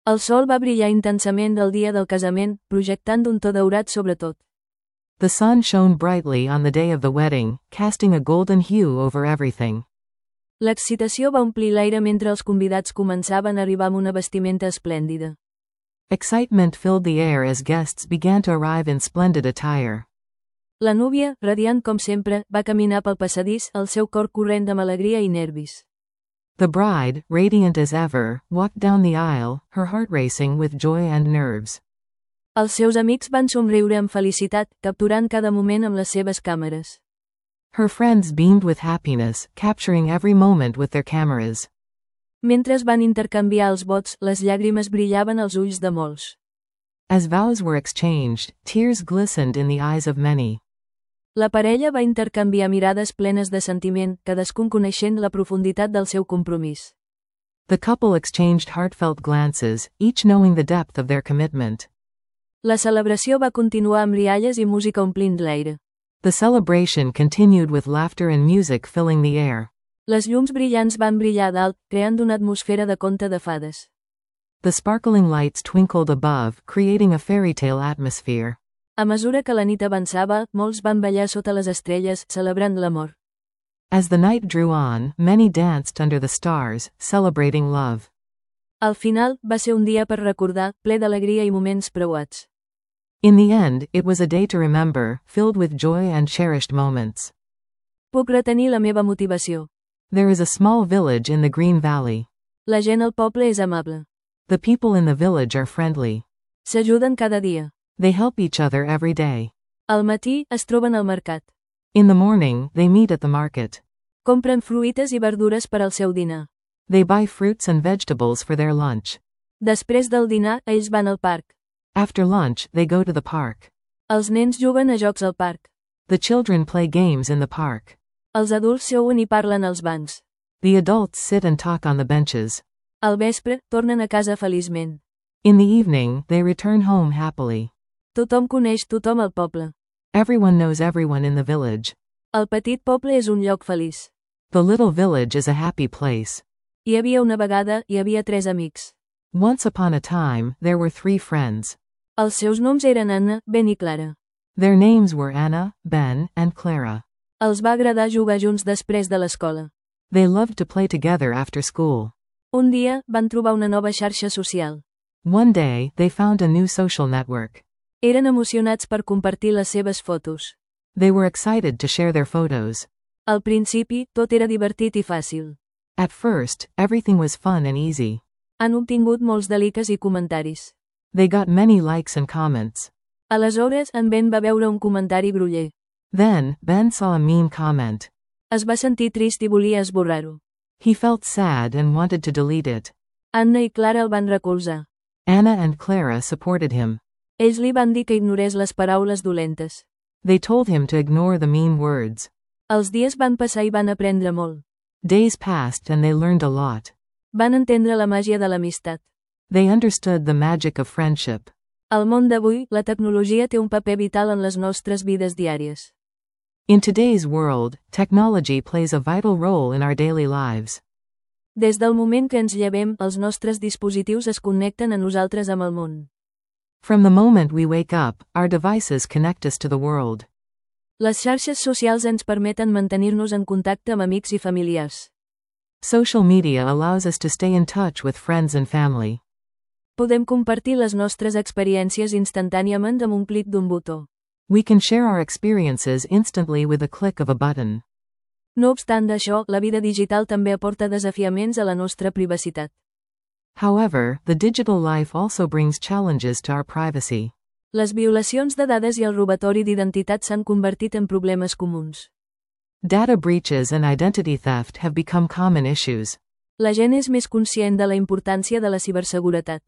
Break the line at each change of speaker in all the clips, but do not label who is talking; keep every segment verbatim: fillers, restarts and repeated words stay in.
El sol va brillar intensament el dia del casament, projectant un to daurat sobre tot.
The sun shone brightly on the day of the wedding, casting a golden hue over everything.
L'excitació va omplir l'aire mentre els convidats començaven a arribar amb una vestimenta esplèndida.
Excitement filled the air as guests began to arrive in splendid attire.
La núvia, radiant com sempre, va caminar pel passadís, el seu cor corrent amb alegria i nervis.
The bride, radiant as ever, walked down the aisle, her heart racing with joy and nerves.
Els seus amics van somriure amb felicitat, capturant cada moment amb les seves càmeres.
Her friends beamed with happiness, capturing every moment with their cameras.
Mentre es van intercanviar els vots, les llàgrimes brillaven als ulls de molts.
As vows were exchanged, tears glistened in the eyes of many.
La parella va intercanviar mirades plenes de sentiment, cadascun coneixent la profunditat del seu compromís.
The couple exchanged heartfelt glances, each knowing the depth of their commitment.
La celebració va continuar amb rialles i música omplint l'aire.
The celebration continued with laughter and music filling the air.
Les llums brillants van brillar dalt, creant una atmosfera de conte de fades.
The sparkling lights twinkled above, creating a fairy tale atmosphere.
A mesura que la nit avançava, molts van ballar sota les estrelles, celebrant l'amor.
As the night drew on, many danced under the stars, celebrating love.
Al final, va ser un dia per recordar, ple d'alegria i moments preuats.
In the end, it was a day to remember, filled with joy and cherished moments.
Puc retenir la meva motivació.
There is a small village in the Green Valley.
La gent al poble és amable.
The people in the village are friendly.
S'ajuden cada dia.
They help each other every day.
Al matí, es troben al mercat.
In the morning, they meet at the market.
Compren fruites i verdures per al seu dinar.
They buy fruits and vegetables for their lunch.
Després del dinar, ells van al parc.
After lunch, they go to the park.
Els nens juguen a jocs al parc.
The children play games in the park.
Els adults seuen i parlen als bancs.
The adults sit and talk on the benches.
Al vespre, tornen a casa feliçment.
In the evening, they return home happily.
Tothom coneix tothom al poble.
Everyone knows everyone in the village.
El petit poble és un lloc feliç.
The little village is a happy place.
Hi havia una vegada, hi havia tres amics.
Once upon a time, there were three friends.
Els seus noms eren Anna, Ben i Clara.
Their names were Anna, Ben, and Clara.
Els va agradar jugar junts després de l'escola.
They loved to play together after school.
Un dia, van trobar una nova xarxa social.
One day, they found a new social network.
Eren emocionats per compartir les seves fotos.
They were excited to share their photos.
Al principi, tot era divertit i fàcil.
At first, everything was fun and easy.
Han obtingut molts delikes i comentaris.
They got many likes and comments.
Aleshores, en Ben va veure un comentari groller.
Then, Ben saw a mean comment.
Es va sentir trist i volia esborrar-ho.
He felt sad and wanted to delete it.
Anna i Clara el van recolzar.
Anna and Clara supported him.
Ells li van dir que ignorés les paraules dolentes.
They told him to ignore the mean words.
Els dies van passar i van aprendre molt.
Days passed and they learned a lot.
Van entendre la màgia de l'amistat.
They understood the magic of friendship.
Al món d'avui, la tecnologia té un paper vital en les nostres vides diàries.
In today's world, technology plays a vital role in our daily lives.
Des del moment que ens llevem, els nostres dispositius es connecten a nosaltres amb el món.
From the moment we wake up, our devices connect us to the world.
Les xarxes socials ens permeten mantenir-nos en contacte amb amics i familiars.
Social media allows us to stay in touch with friends and family.
Podem compartir les nostres experiències instantàniament amb un clic d'un botó.
We can share our experiences instantly with a click of a button.
No obstant això, la vida digital també aporta desafiaments a la nostra privacitat.
However, the digital life also brings challenges to our privacy.
Les violacions de dades i el robatori d'identitat s'han convertit en problemes comuns.
Data breaches and identity theft have become common issues.
La gent és més conscient de la importància de la ciberseguretat.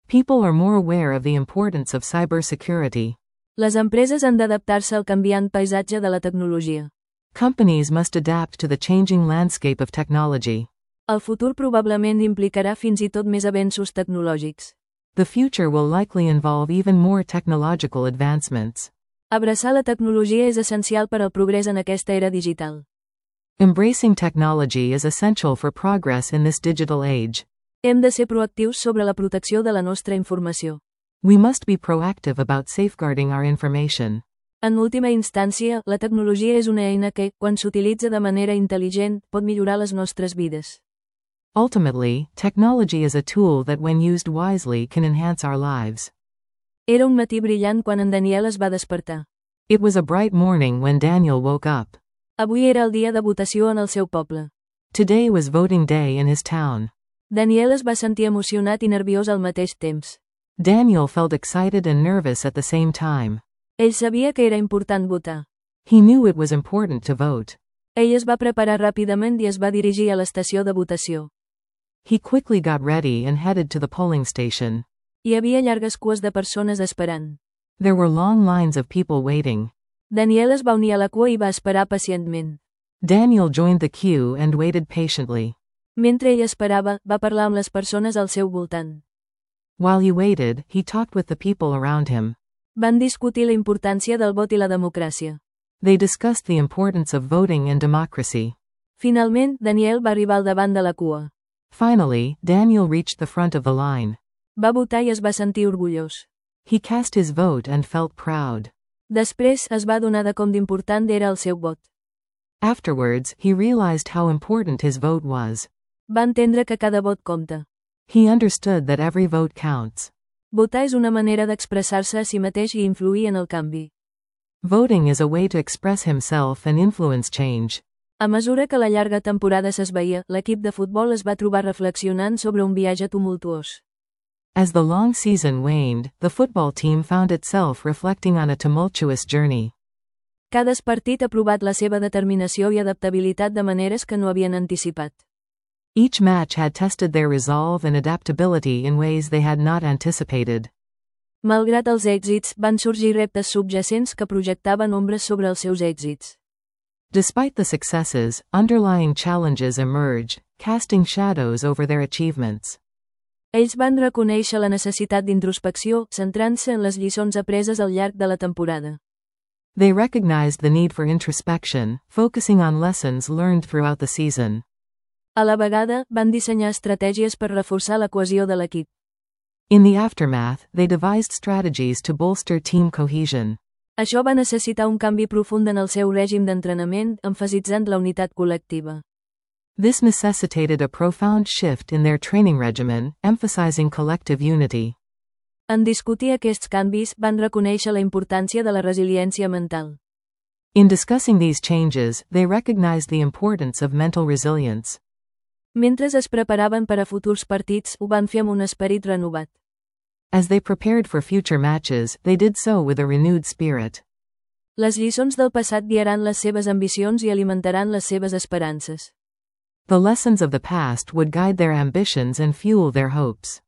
People are more aware of the importance of cybersecurity.
Les empreses han d'adaptar-se al canviant paisatge de la tecnologia.
Companies must adapt to the changing landscape of technology.
El futur probablement implicarà fins i tot més avenços tecnològics.
The future will likely involve even more technological advancements.
Abraçar la tecnologia és essencial per al progrés en aquesta era digital.
Embracing technology is essential for progress in this digital age.
Hem de ser proactius sobre la protecció de la nostra informació.
We must be proactive about safeguarding our information.
En última instància, la tecnologia és una eina que, quan s'utilitza de manera intel·ligent, pot millorar les nostres vides.
Ultimately, technology is a tool that when used wisely can enhance our lives.
Era un matí brillant quan en Daniel es va despertar.
It was a bright morning when Daniel woke up.
Avui era el dia de votació en el seu poble.
Today was voting day in his town.
Daniel es va sentir emocionat i nerviós al mateix temps.
Daniel felt excited and nervous at the same time.
Ell sabia que era important votar.
He knew it was important to vote.
Ell es va preparar ràpidament i es va dirigir a l'estació de votació.
He quickly got ready and headed to the polling station.
Hi havia llargues cues de persones esperant.
There were long lines of people waiting.
Daniel es va unir a la cua i va esperar pacientment.
Daniel joined the queue and waited patiently.
Mentre ell esperava, va parlar amb les persones al seu voltant.
While he waited, he talked with the people around him.
Van discutir la importància del vot i la democràcia.
They discussed the importance of voting and democracy.
Finalment, Daniel va arribar al davant de la cua.
Finally, Daniel reached the front of the line.
Va votar i es va sentir orgullós.
He cast his vote and felt proud.
Després, es va adonar de com d'important era el seu vot.
Afterwards, he realized how important his vote was.
Va entendre que cada vot compta.
He understood that every vote counts.
Votar és una manera d'expressar-se a si mateix i influir en el canvi.
Voting is a way to express himself and influence change.
A mesura que la llarga temporada s'esvaïa, l'equip de futbol es va trobar reflexionant sobre un viatge tumultuós.
As the long season waned, the football team found itself reflecting on a tumultuous journey.
Cada partit ha provat la seva determinació i adaptabilitat de maneres que no havien anticipat.
Each match had tested their resolve and adaptability in ways they had not anticipated.
Malgrat els èxits, van sorgir reptes subjacents que projectaven ombres sobre els seus èxits.
Despite the successes, underlying challenges emerged, casting shadows over their achievements.
Ells van reconèixer la necessitat d'introspecció, centrant-se en les lliçons apreses al llarg de la temporada.
They recognized the need for introspection, focusing on lessons learned throughout the season.
A la vegada, van dissenyar estratègies per reforçar la cohesió de l'equip.
In the aftermath, they devised strategies to bolster team cohesion.
Això va necessitar un canvi profund en el seu règim d'entrenament, emfasitzant la unitat col·lectiva.
This necessitated a profound shift in their training regimen, emphasizing collective unity.
En discutir aquests canvis, van reconèixer la importància de la resiliència mental.
In discussing these changes, they recognized the importance of mental resilience.
Mentre es preparaven per a futurs partits, ho van fer amb un esperit renovat.
As they prepared for future matches, they did so with a renewed spirit.
Les lliçons del passat guiaran les seves ambicions i alimentaran les seves esperances.
The lessons of the past would guide their ambitions and fuel their hopes.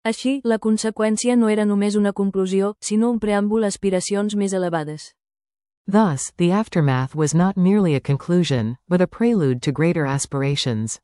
Així, la conseqüència no era només una conclusió, sinó un preàmbul a aspiracions més elevades.
Thus, the aftermath was not merely a conclusion, but a prelude to greater aspirations.